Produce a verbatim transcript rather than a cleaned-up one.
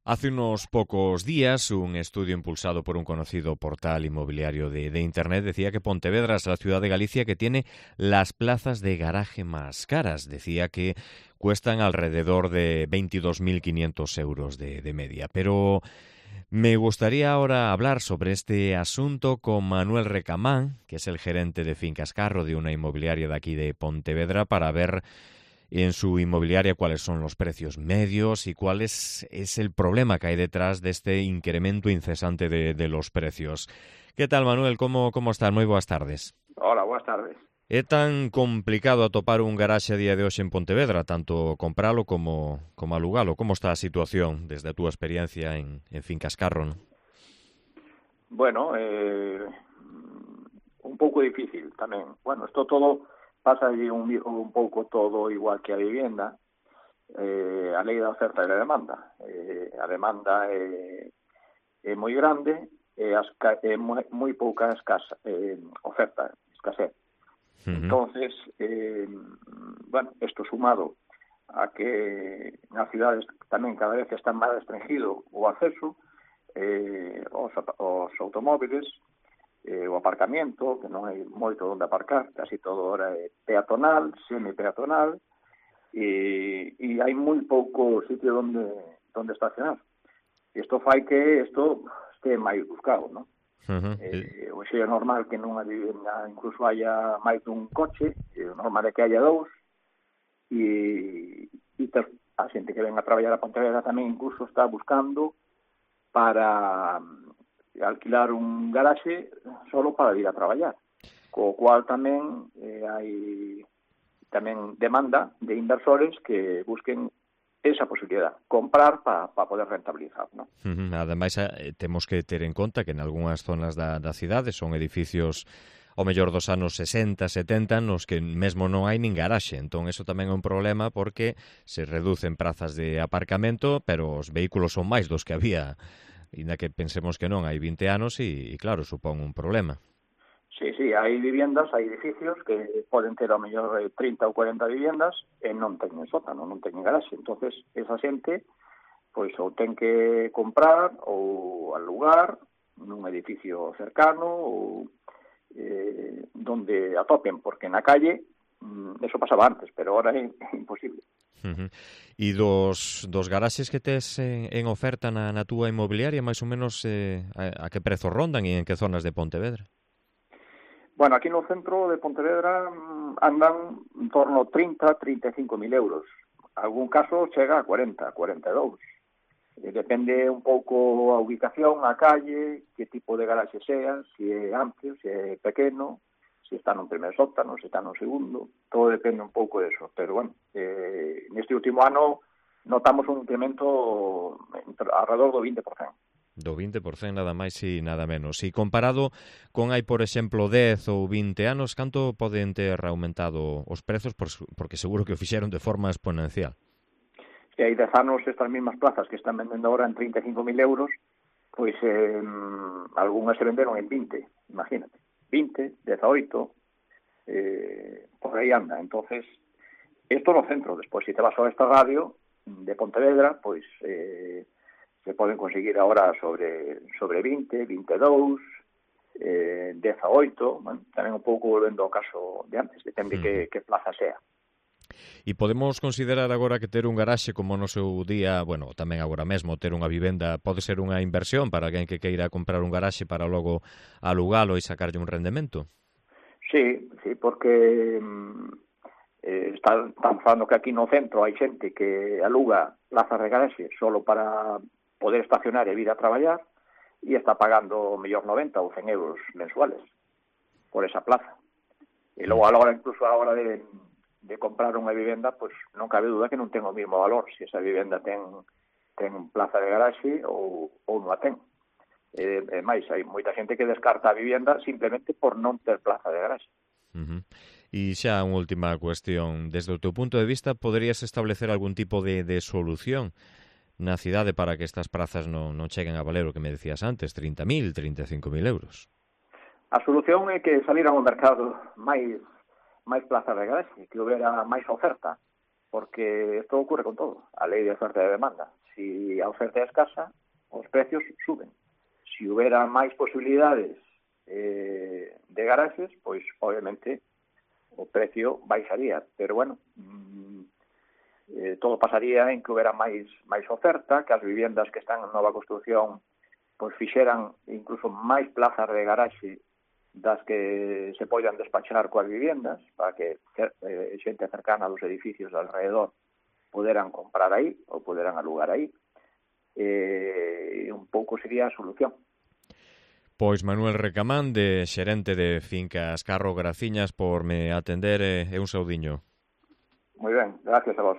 Hace unos pocos días, un estudio impulsado por un conocido portal inmobiliario de, de Internet decía que Pontevedra es la ciudad de Galicia que tiene las plazas de garaje más caras. Decía que cuestan alrededor de veintidós mil quinientos euros de, de media. Pero me gustaría ahora hablar sobre este asunto con Manuel Recamán, que es el gerente de Fincas Carro de una inmobiliaria de aquí de Pontevedra, para ver en su inmobiliaria cuáles son los precios medios y cuál es, es el problema que hay detrás de este incremento incesante de, de los precios. ¿Qué tal, Manuel? ¿Cómo, cómo estás? Muy buenas tardes. Hola, buenas tardes. É tan complicado atopar un garaxe a día de hoxe en Pontevedra, tanto compralo como, como alugalo? Como está a situación desde a túa experiencia en, en Fincas Carro, non? Bueno, eh, un pouco difícil tamén. Bueno, isto todo pasa allí un, un pouco todo igual que a vivienda. Eh, a lei da oferta e da demanda. Eh, a demanda é, é moi grande e as, é moi, moi pouca escasa, eh, oferta, escasez. Uh-huh. Entonces, eh, bueno, isto sumado a que nas cidades tamén cada vez está máis restringido o acceso eh, aos, aos automóviles, eh, o aparcamiento, que non hai moito onde aparcar, casi todo ahora é peatonal, semi-peatonal, e, e hai moi pouco sitio onde, onde estacionar. Isto fai que isto este máis buscado, non? Uh-huh. Eh, hoxe é normal que nunha vivenda incluso haya máis dun coche, e o normal é que haya dous, e, e ter, a xente que ven a traballar a Pontevedra tamén incluso está buscando para alquilar un garaxe solo para ir a traballar, co cual tamén eh, hai tamén demanda de inversores que busquen esa posibilidad, comprar para pa poder rentabilizar, ¿no? Uh-huh. Ademais, eh, temos que ter en conta que en algunhas zonas da, da cidade son edificios ao mellor dos anos sesenta, setenta, nos que mesmo non hai nin garaxe. Entón, eso tamén é un problema porque se reducen prazas de aparcamento, pero os vehículos son máis dos que había, inda que pensemos que non, hai vinte anos e, e claro, supón un problema. Sí, sí, hai viviendas, hai edificios que poden ter ao mellor trinta ou cuarenta viviendas e non teñen sótano, non teñen garaxe. Entonces, esa xente pois ou ten que comprar ou alugar nun edificio cercano ou eh, donde atopen, porque na calle eso pasaba antes, pero ahora é imposible. Uh-huh. E dos, dos garaxes que tes en, en oferta na, na túa inmobiliaria, máis ou menos eh, a, a que prezo rondan e en que zonas de Pontevedra? Bueno, aquí no centro de Pontevedra andan en torno a trinta, trinta e cinco mil euros. Algún caso chega a cuarenta, cuarenta e dous. Depende un pouco a ubicación, a calle, que tipo de garaxe sea, se é amplio, se é pequeno, se está nun primer sótano, se está nun segundo, todo depende un pouco de eso. Pero, bueno, eh, neste último ano notamos un incremento alrededor do vinte por cento. Do vinte por cento nada máis e nada menos. E comparado con hai, por exemplo, dez ou vinte anos, canto poden ter aumentado os prezos? Porque seguro que o fixeron de forma exponencial. Se hai dez anos estas mesmas plazas que están vendendo ahora en trinta e cinco mil euros, pois eh, algunhas se venderon en vinte, imagínate. vinte, dezaoito, eh, por aí anda. Entonces, isto no centro. Despois, se te vas a esta radio de Pontevedra, pois eh, se poden conseguir ahora sobre sobre vinte, vinte e dous, eh, dezaoito, bueno, tamén un pouco volvendo ao caso de antes, depende mm. que, que plaza sea. E podemos considerar agora que ter un garaxe como no seu día, bueno, tamén agora mesmo ter unha vivenda pode ser unha inversión para alguén que queira comprar un garaxe para logo alugalo e sacarlle un rendemento? Sí, sí, porque eh, están, están falando que aquí no centro hai xente que aluga plazas de garaxe solo para poder estacionar e vir a traballar e está pagando mellor noventa ou cen euros mensuales por esa plaza. E logo a hora, incluso a hora de de comprar unha vivenda, pois non cabe duda que non ten o mesmo valor se esa vivenda ten ten plaza de garaxe ou, ou non a ten. E, e máis, hai moita xente que descarta a vivenda simplemente por non ter plaza de garaxe. Uh-huh. E xa unha última cuestión. Desde o teu punto de vista, poderías establecer algún tipo de, de solución na cidade para que estas prazas non, non cheguen a valer o que me decías antes, trinta mil, trinta e cinco mil euros? A solución é que saliran ao mercado máis máis plazas de garaxe, que houbera máis oferta, porque isto ocurre con todo, a lei de oferta e de demanda. Si a oferta é escasa, os precios suben. Se houbera máis posibilidades eh, de garaxes, pois, obviamente, o precio baixaría. Pero, bueno, mm, eh, todo pasaría en que houbera máis, máis oferta, que as viviendas que están en nova construción pois fixeran incluso máis plazas de garaxe das que se poidan despachar coas viviendas, para que eh, xente cercana dos edificios alrededor poderan comprar aí ou poderan alugar aí. E un pouco sería a solución. Pois Manuel Recamán, de xerente de Fincas Carro, graciñas por me atender e un saudiño. Moi ben, gracias a vos.